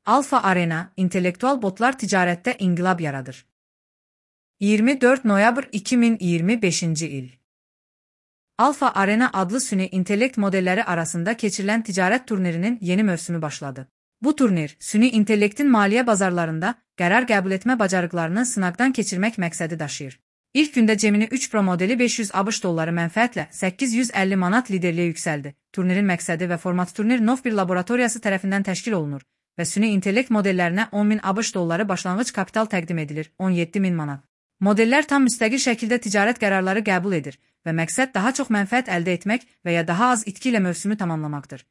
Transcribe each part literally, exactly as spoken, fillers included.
Alfa Arena, intellektual botlar ticarette inqilab yaradır. iyirmi dörd noyabr iki min iyirmi beşinci il. Alfa Arena adlı süni intellekt modelleri arasında keçirilən ticaret turnirinin yeni mövsümü başladı. Bu turnir, süni intellektin maliyyə bazarlarında qərar qəbul etmə bacarıqlarını sınaqdan keçirmək məqsədi daşıyır. İlk gündə Gemini üç Pro modeli beş yüz ABŞ dolları mənfəətlə səkkiz yüz əlli manat liderliyə yüksəldi. Turnirin məqsədi və formatı turnir Nov bir laboratoriyası tərəfindən təşkil olunur və süni intellekt modellərinə on min ABŞ dolları başlanğıc kapital təqdim edilir, on yeddi min manat. Modellər tam müstəqil şəkildə ticarət qərarları qəbul edir və məqsəd daha çox mənfəət əldə etmək və ya daha az itki ilə mövsümü tamamlamaqdır.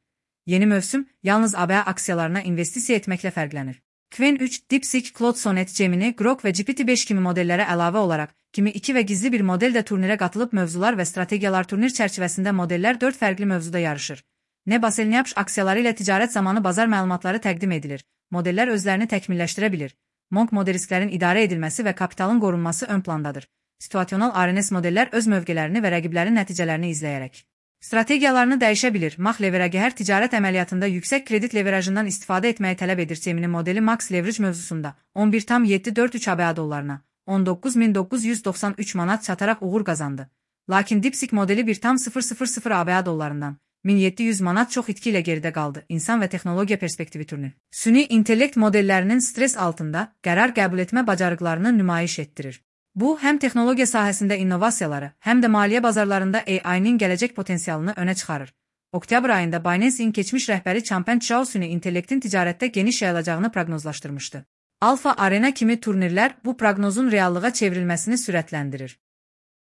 Yeni mövsüm yalnız A B A aksiyalarına investisiya etməklə fərqlənir. Qwen üç, DeepSeek, Claude Sonnet, Gemini, Grok və G P T beş kimi modellərə əlavə olaraq, kimi iki və gizli bir model də turnirə qatılıb mövzular və strategiyalar turnir çərçivəsində modellər dörd fərqli mövzuda yarışır. Ne Baselnyapş aksiyaları ilə ticarət zamanı bazar məlumatları təqdim edilir. Modellər özlərini təkmilləşdirə bilir. Monk model risklərin idarə edilməsi və kapitalın qorunması ön plandadır. Situasional R N S modellər öz mövqelərini və rəqiblərin nəticələrini izləyərək strategiyalarını dəyişə bilir. Max leverage hər ticarət əməliyyatında yüksək kredit leverajından istifadə etməyi tələb edir. Gemini modeli Max Leverage mövzusunda on bir tam yeddi dörd üç A B A dollarına on doqquz min doqquz yüz doxsan üç manat çataraq uğur qazandı. Lakin DeepSeek modeli bir tam sıfır sıfır sıfır A B A dollarından min yeddi yüz manat çox itki ilə geridə qaldı. İnsan və texnologiya perspektivi turnir süni intellekt modellərinin stres altında qərar qəbul etmə bacarıqlarını nümayiş etdirir. Bu, həm texnologiya sahəsində innovasiyaları, həm də maliyyə bazarlarında A I-nin gələcək potensialını önə çıxarır. Oktyabr ayında Binance-in keçmiş rəhbəri Changpeng Zhao süni intellektin ticarətdə geniş yayılacağını proqnozlaşdırmışdı. Alfa Arena kimi turnirlər bu proqnozun reallığa çevrilməsini sürətləndirir.